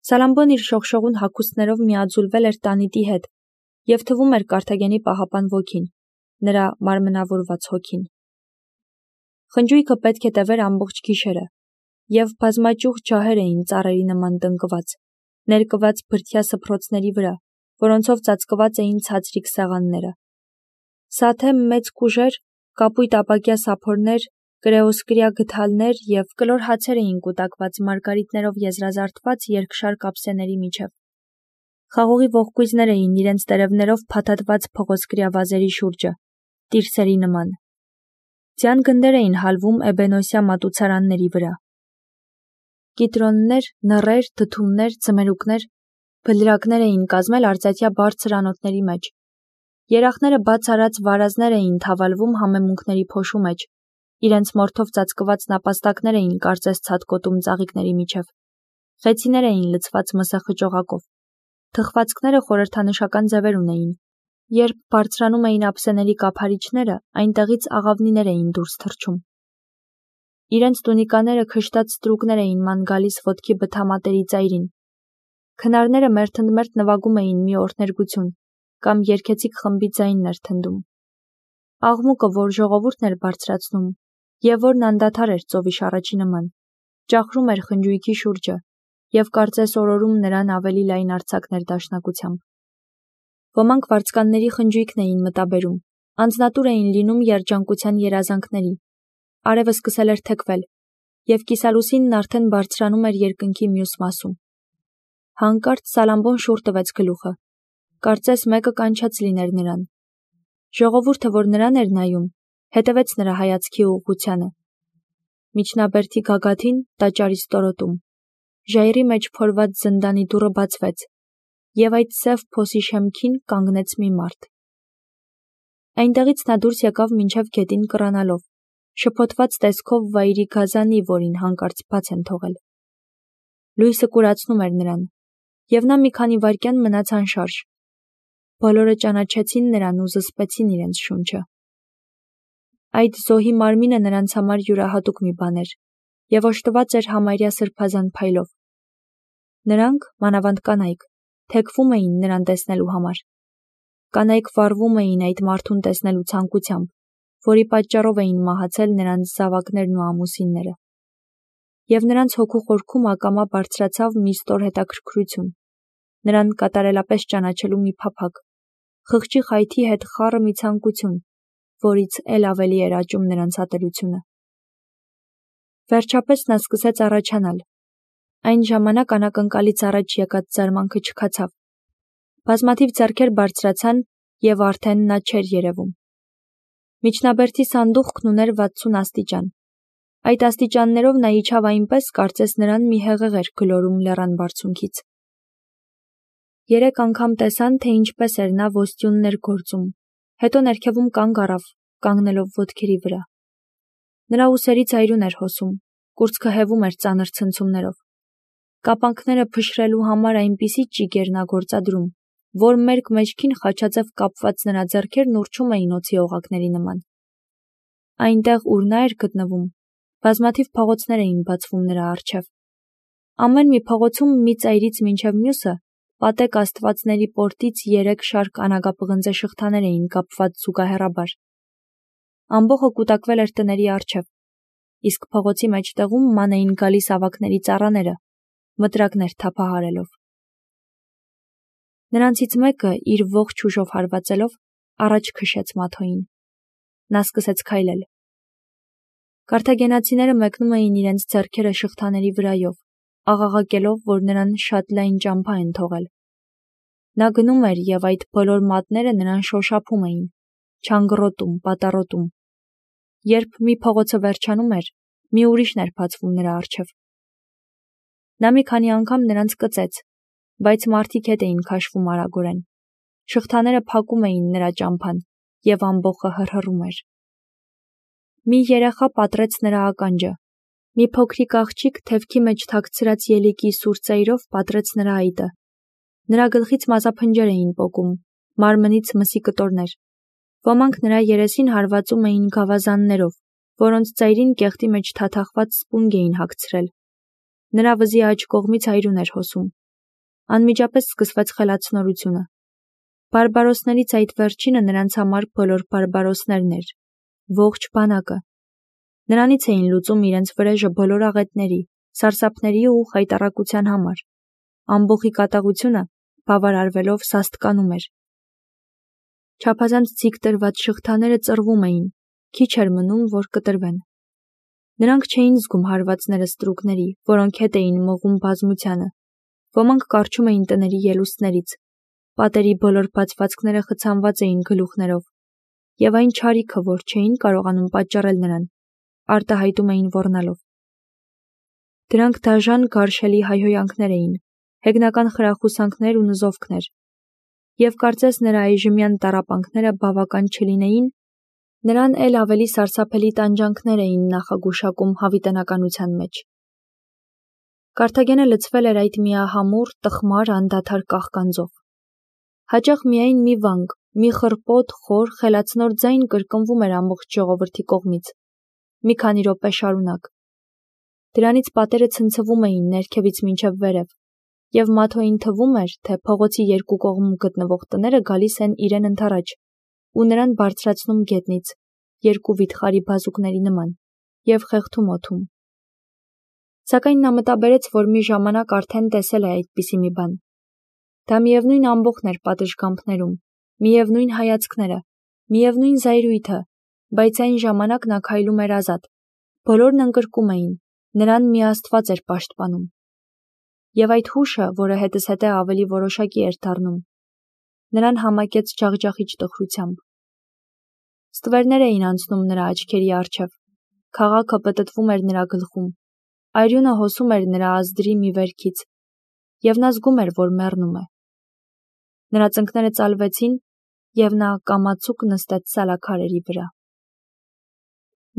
Սալամբոն իր շողշողուն հագուստներով միաձուլվել էր տանիդի հետ և թվում էր Կարթագենի պահապան ոգին, նրա մարմնավորված հոգին։ Խնջույքը պետք է տևեր ամբողջ գիշերը, և բազմաճյուղ ջահեր էին ծառերի նման տնկված, ներկված բրդյա սփռոցների վրա, որոնցով ծածկված էին ցածրիկ սեղանները։ Սաթե մեծ կուժեր, կապույտ ապակյա սափորներ, կրեոսկրյա գդալներ և կլոր հացեր էին կուտակված մարգարիտներով եզրազարդված երկշար կապսեների միջև։ Խաղողի ողկույզներ էին իրենց տերևներով փաթաթված փղոսկրյա վազերի շուրջը, տիրսերի նման։ Ձյան գնդեր էին հալվում էբենոսյա մատուցարանների վրա։ Կիտրոններ, նռեր, դդումներ, ձմերուկներ, բլրակներ էին կազմել արծաթյա բարձր անոթների մեջ։ Երախները բաց արած վարազներ էին թավալվում համեմունքների փոշու մեջ, իրենց մորթով ծածկված նապաստակներ էին կարծես ցատկոտում ծաղիկների միջև, խեցիներ էին լցված մսախճողակով, թխվածքները խորհրդանշական ձևեր ունեին, երբ բարձրանում էին ափսեների կափարիչները, այնտեղից աղավնիներ էին դուրս թռչում։ Իրենց տունիկաները քշտած ստրուկներ էին ման գալիս ոտքի բթամատերի ծայրին։ Քնարները մերթընդմերթ նվագում էին մի օրհներգություն, կամ երգեցիկ խմբի ձայնն էր թնդում։ Աղմուկը, որ ժողովուրդն էր բարձրացնում, և որն անդադար էր ծովի շառաչի նման, ճախրում էր խնջույքի շուրջը և կարծես օրորում նրան ավելի լայն արձակներ դաշնակությամբ։ Ոմանք վարձկանների խնջույքն էին մտաբերում, անձնատուր էին լինում երջանկության երազանքների։ Արևը սկսել էր թեքվել, և կիսալուսինն արդեն բարձրանում էր երկնքի մյուս մասում։ Հանկարծ Սալամբոն շուռ տվեց գլուխը, կարծես մեկը կանչած լիներ նրան։ Ժողովուրդը, որ նրան էր նայում, հետևեց նրա հայացքի ուղղությանը։ Միջնաբերդի գագաթին, տաճարի ստորոտում, ժայռի մեջ փորված զնդանի դուռը բացվեց, և այդ սև փոսի շեմքին կանգնեց մի մարդ։ Այնտեղից նա դուրս եկավ մինչև գետին կռանալով, շփոթված տեսքով վայրի գազանի, որին հանկարծ բաց են թողել։ Լույսը կուրացնում էր նրան, և նա մի քանի վայրկյան մնաց անշարժ։ Բոլորը ճանաչեցին նրան ու զսպեցին իրենց շունչը։ Այդ զոհի մարմինը նրանց համար յուրահատուկ մի բան էր, և օժտված էր համարյա սրբազան փայլով։ Նրանք, մանավանդ կանայք, թեքվում էին նրան տեսնելու համար։ Կանայք վառվում էին այդ մարդուն տեսնելու ցանկությամբ, որի պատճառով էին մահացել նրանց զավակներն ու ամուսինները։ Եվ նրանց հոգու խորքում ակամա բարձրացավ մի ստոր հետաքրքրություն, նրան կատարելապես ճանաչելու մի փափագ, խղճի խայթի հետ խառը մի ցանկություն, որից էլ ավելի էր աճում նրանց ատելությունը։ Վերջապես նա սկսեց առաջանալ։ Այն ժամանակ անակնկալից առաջ եկած զարմանքը չքացավ։ Բազմաթիվ ձեռքեր բարձրացան, և արդեն նա չէր երևում։ Միջնաբերդի սանդուղքն ուներ 60 աստիճան։ Այդ աստիճաններով նա իջավ այնպես, կարծես նրան մի հեղեղ էր գլորում լեռան բարձունքից։ 3 անգամ տեսան, թե ինչպես էր նա ոստյուններ գործում, հետո ներքևում կանգ առավ, կանգնելով ոտքերի վրա։ Նրա ուսերի ծայրուն էր հոսում, կուրծքը հևում էր ծանր ցնցումներով։ Կապանքները փշրելու համար այնպիսի ճիգ էր նա գործադրում, որ մերկ մեջքին խաչաձև կապված նրա ձեռքերն ուռչում էին օձի օղակների նման։ Այնտեղ, ուր նա էր գտնվում, բազմաթիվ փողոցներ էին բացվում նրա առջև։ Ամեն մի փողոցում մի ծայրից մինչև մյուսը պատեկ աստվածների պորտից 3 շարք անագապղնձե շղթաներ էին կապված զուգահեռաբար։ Ամբոխը կուտակվել էր տների առջև, իսկ փողոցի մեջտեղում ման էին գալիս ավագների ծառաները, մտրակներ թափահարելով։ Նրանցից մեկը, իր ողջ ուժով հարվածելով, առաջ քշեց Մաթոյին։ Նա սկսեց քայլել։ Կարթագենացիները մեկնում էին իրենց ձեռքերը շղթաների վրայով, աղաղակելով, որ նրան շատ լայն ճամփա են թողել։ Նա գնում էր, և այդ բոլոր մատները նրան շոշափում էին, չանգռոտում, պատառոտում։ Երբ մի փողոցը վերջանում էր, մի ուրիշն էր բացվում նրա առջև։ Նա մի քանի անգամ նրանց կծեց, բայց մարդիկ հետ էին քաշվում արագորեն։ Շղթաները փակում էին նրա ճամփան, և ամբոխը հռհռում էր։ Մի երեխա պատռեց նրա ականջը։ Մի փոքրիկ աղջիկ թևքի մեջ թաքցրած ելիկի սուր ծայրով պատռեց նրա այտը։ Նրա գլխից մազափնջեր էին պոկում, մարմնից մսի կտորներ։ Ոմանք նրա երեսին հարվածում էին գավազաններով, որոնց ծայրին կեղտի մեջ թաթախված սպունգ էին հագցրել։ Նրա վզի աջ կողմից այրուն էր հոսում, Անմիջապես սկսվեց խելացնորությունը։ Բարբարոսներից այդ վերջինը նրանց համար բոլոր բարբարոսներն էր, ողջ բանակը։ Նրանից էին լուծում իրենց վրեժը բոլոր աղետների, սարսափների ու խայտառակության համար։ Ամբոխի կատաղությունը բավարարվելով սաստկանում էր։ Չափազանց ձիգ տրված շղթաները ծռվում էին, քիչ էր մնում, որ կտրվեն։ Նրանք չէին զգում հարվածները ստրուկների, որոնք հետ էին մղում բազմությանը։ Ոմանք կառչում էին տների ելուստներից, պատերի բոլոր բացվածքները խցանված էին գլուխներով, եւ այն չարիքը, որ չէին կարողանում պատճառել նրան, արտահայտում էին ոռնալով։ Դրանք դաժան գարշելի հայհոյանքներ էին, հեգնական խրախուսանքներ ու նզովքներ, եւ կարծես նրա այժմյան տառապանքները բավական չլինեին, նրան էլ ավելի սարսափելի տանջանքներ էին նախագուշակում հավիտենականության մեջ։ Կարթագենը լցվել էր այդ միահամուռ, տխմար, անդադար կաղկանձով։ Հաճախ միայն մի վանք, մի խռպոտ, խոր, խելացնոր ձայն կրկնվում էր ամբողջ ժողովրդի կողմից, մի քանի րոպե շարունակ։ Դրանից պատերը ցնցվում էին ներքևից մինչև վերև, եւ Մաթոյին թվում էր, թե փողոցի երկու կողմում գտնվող տները գալիս են իրեն ընդառաջ ու նրան բարձրացնում գետնից, երկու վիթխարի բազուկների նման, եւ խեղդում օդում։ Սակայն նա մտաբերեց, որ մի ժամանակ արդեն տեսել է այդպիսի մի բան։ Դա միևնույն ամբոխն էր պատշգամբներում, միևնույն հայացքները, միևնույն զայրույթը, բայց այն ժամանակ նա քայլում էր ազատ։ Բոլորն ընկրկում էին, նրան մի Աստված էր պաշտպանում։ Եվ այդ հուշը, որը հետզհետե ավելի որոշակի էր դառնում, նրան համակեց ջախջախիչ տխրությամբ։ Ստվերներ էին անցնում նրա աչքերի առջև, քաղաքը պտտվում էր նրա գլխում, արյունը հոսում էր նրա ազդրի մի վերքից, եւ նա զգում էր, որ մեռնում է։ Նրա ծնկները ծալվեցին, եւ նա կամացուկ նստեց սալաքարերի վրա։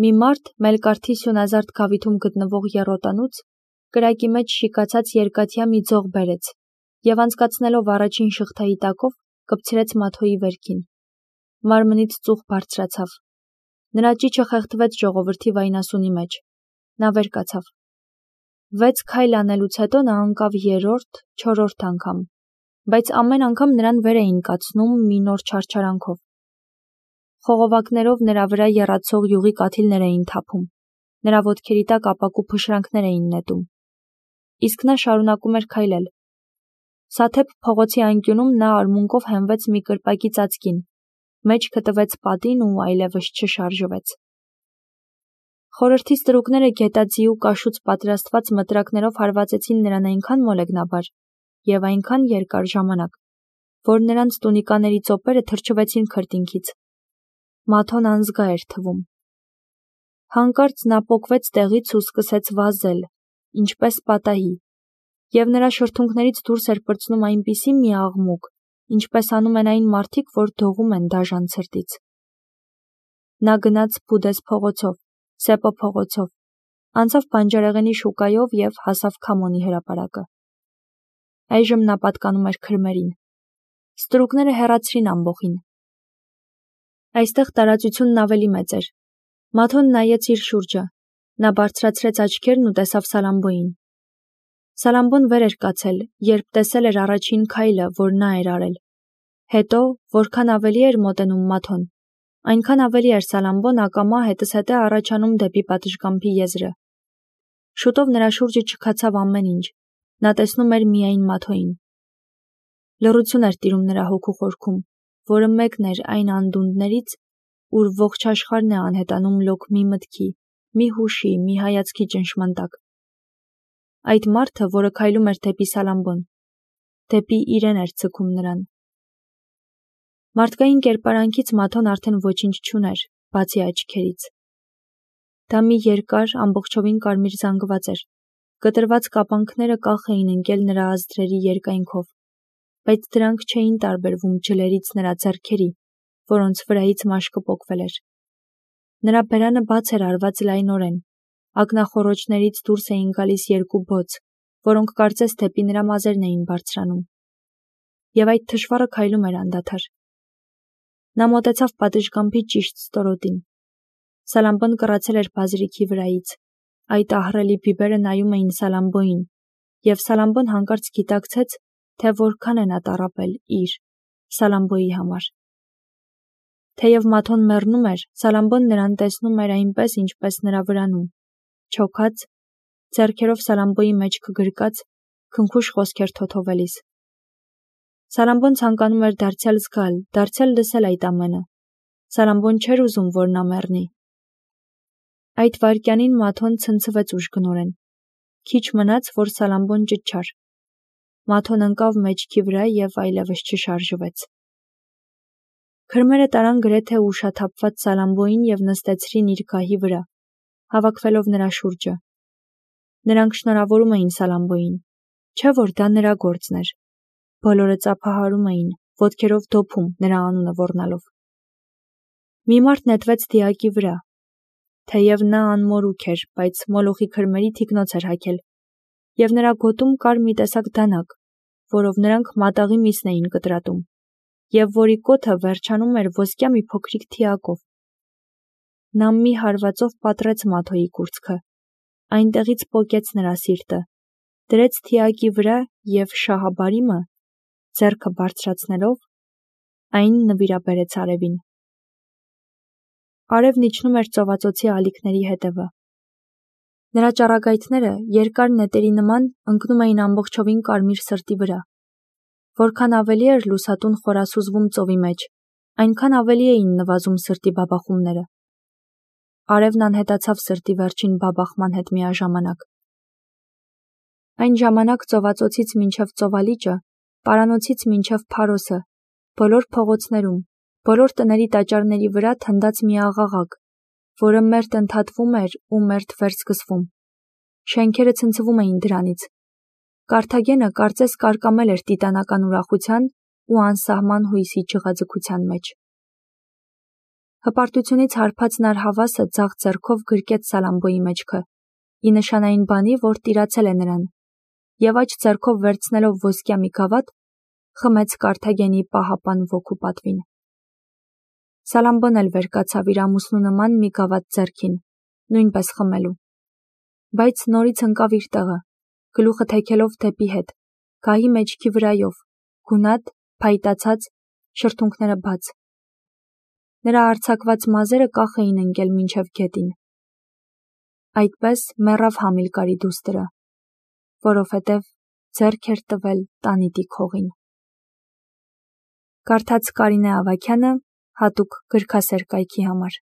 Մի մարդ Մելկարթի սյունազարդ գավիթում գտնվող եռոտանուց կրակի մեջ շիկացած երկաթյա մի ձող բերեց եւ անցկացնելով առաջին շղթայի տակով կպցրեց Մաթոյի վերքին։ Մարմնից ծուխ բարձրացավ։ Նրա ճիճը խեղդվեց ժողովրդի վայնասունի մեջ։ Նա վեր կացավ։ 6 քայլ անելուց հետո նա ընկավ 3-րդ, 4-րդ անգամ, բայց ամեն անգամ նրան վեր էին կացնում մի նոր չարչարանքով։ Խողովակներով նրա վրա եռացող յուղի կաթիլներ էին թափում, նրա ոտքերի տակ ապակու փշրանքներ էին նետում։ Իսկ նա շարունակում էր քայլել։ Սաթեփ փողոցի անկյունում նա արմունկով հենվեց մի կրպակի ծածկին, մեջքը տվեց պատին ու այլևս չշարժվեց։ Խորհրդի ստրուկները գետաձի ու կաշուց պատրաստված մտրակներով հարվածեցին նրան այնքան մոլեգնաբար եւ այնքան երկար ժամանակ, որ նրանց տունիկաների ծոպերը թրջվեցին քրտինքից։ Մաթոն անզգա էր թվում։ Հանկարծ նա պոկվեց տեղից ու սկսեց վազել, ինչպես պատահի, եւ նրա շրթունքներից դուրս էր պրծնում այնպիսի մի աղմուկ, ինչպես անում են այն մարդիկ, որ դողում են դաժան ցրտից։ Նա գնաց Բուդես փողոցով, Սեպո փողոցով, անցավ Բանջարեղենի շուկայով եւ հասավ Քամոնի հրապարակը։ Այժմ նա պատկանում էր քրմերին։ Ստրուկները հեռացրին ամբոխին։ Այստեղ տարածությունն ավելի մեծ էր։ Մաթոն նայեց իր շուրջը։ Նա բարձրացրեց աչքերն ու տեսավ Սալամբոյին։ Սալամբոն վեր էր կացել, երբ տեսել էր առաջին քայլը, որ նա էր արել։ Հետո, որքան ավելի էր մոտենում Մաթոն, այնքան ավելի էր Սալամբոն ակամա հետզհետե առաջանում դեպի պատշգամբի եզրը։ Շուտով նրա շուրջը չքացավ ամեն ինչ։ Նա տեսնում էր միայն Մաթոյին։ Լռություն էր տիրում նրա հոգու խորքում, որը մեկն էր այն անդունդներից, ուր ողջ աշխարհն է անհետանում լոկ մի մտքի, մի հուշի, մի հայացքի ճնշման տակ։ Այդ մարդը, որը քայլում էր դեպի Սալամբոն, դեպի իրեն էր ցքում նրան։ Մարդկային կերպարանքից Մաթոն արդեն ոչինչ չուներ, բացի աչքերից։ Դա մի երկար, ամբողջովին կարմիր զանգված էր։ Կտրված կապանքները կախ էին ընկել նրա ազդրերի երկայնքով, բայց դրանք չէին տարբերվում ջլերից նրա ձեռքերի, որոնց վրայից մաշկը պոկվել էր։ Նրա բերանը բաց էր արված լայնորեն, ակնախոռոչներից դուրս էին գալիս երկու բոց, որոնք կարծես դեպի նրա մազերն էին բարձրանում։ Եվ այդ թշվառը քայլում էր անդադար։ Նա մոտեցավ պատշգամբի ճիշտ ստորոտին։ Սալամբոն կռացել էր բազրիքի վրայից։ Այդ ահռելի բիբերը նայում էին Սալամբոյին, եւ Սալամբոն հանկարծ գիտակցեց, թե որքան է նա տառապել իր Սալամբոյի համար։ Թեև Մաթոն մեռնում էր, Սալամբոն նրան տեսնում էր այնպես, ինչպես նրա վրանում, չոքած, ձեռքերով Սալամբոյի մեջքը գրկած, քնքուշ խոսքեր թոթովելիս։ Սալամբոն ցանկանում էր դարձյալ զգալ, դարձյալ լսել այդ ամենը։ Սալամբոն չէր ուզում, որ նա մեռնի։ Այդ վայրկյանին Մաթոն ցնցվեց ուժգնորեն։ Քիչ մնաց, որ Սալամբոն ճչար։ Մաթոն ընկավ մեջքի վրա և այլևս չշարժվեց։ Քրմերը տարան գրեթե ուշաթափված Սալամբոյին և նստեցրին իր գահի վրա, հավաքվելով նրա շուրջը։ Նրանք շնորհավորում էին Սալամբոյին, չէ՞ որ դա նրա գործն էր։ Բոլորը ծափահարում էին, ոտքերով դոփում նրա անունը ոռնալով։ Մի մարդ նետվեց դիակի վրա։ Թեև նա անմորուք էր, բայց Մոլոխի քրմերի թիկնոց էր հագել, և նրա գոտում կար մի տեսակ դանակ, որով նրանք մատաղի միսն էին կտրատում, և որի կոթը վերջանում էր ոսկյա մի փոքրիկ թիակով։ Նա մի հարվածով պատռեց Մաթոյի կուրծքը, այնտեղից պոկեց նրա սիրտը, դրեց թիակի վրա և շահաբարիմը, ձեռքը բարձրացնելով, այն նվիրաբերեց արևին։ Արևն իջնում էր ծովածոցի ալիքների հետևը։ Նրա ճառագայթները, երկար նետերի նման, ընկնում էին ամբողջովին կարմիր սրտի վրա։ Որքան ավելի էր լուսատուն խորասուզվում ծովի մեջ, այնքան ավելի էին նվազում սրտի բաբախումները։ Արևն անհետացավ սրտի վերջին բաբախման հետ միաժամանակ։ Այն ժամանակ ծովածոցից մինչև ծովալիճը, պարանոցից մինչև Փարոսը, բոլոր փողոցներում, բոլոր տների տաճարների վրա թնդաց մի աղաղակ, որը մերթ ընդհատվում էր ու մերթ վերսկսվում։ Շենքերը ցնցվում էին դրանից։ Կարթագենը կարծես կարկամել էր տիտանական ուրախության ու անսահման հույսի ջղաձգության մեջ։ Հպարտությունից հարբած նար հավասը ձախ ձեռքով գրկեց Սալամբոյի մեջքը, ի նշան այն բանի, որ տիրացել է նրան, և աջ ձեռքով վերցնելով ոսկյա մի գավաթ, խմեց Կարթագենի պահապան ոգու պատվին։ Սալամբոն էլ վեր կացավ իր ամուսնու նման մի գավաթ ձեռքին, նույնպես խմելու։ Բայց նորից ընկավ իր տեղը, գլուխը թեքելով դեպի հետ, գահի մեջքի վրայով, գունատ, փայտացած, շրթունքները բաց։ Նրա արձակված մազերը կախ էին ընկել մինչև գետին։ Այդպես մեռավ Համիլկարի դուստրը, որովհետև ձեռք էր տվել տանիտի քողին։ Կարդաց Կարինե Ավագյանը հատուկ գրքասեր կայքի համար։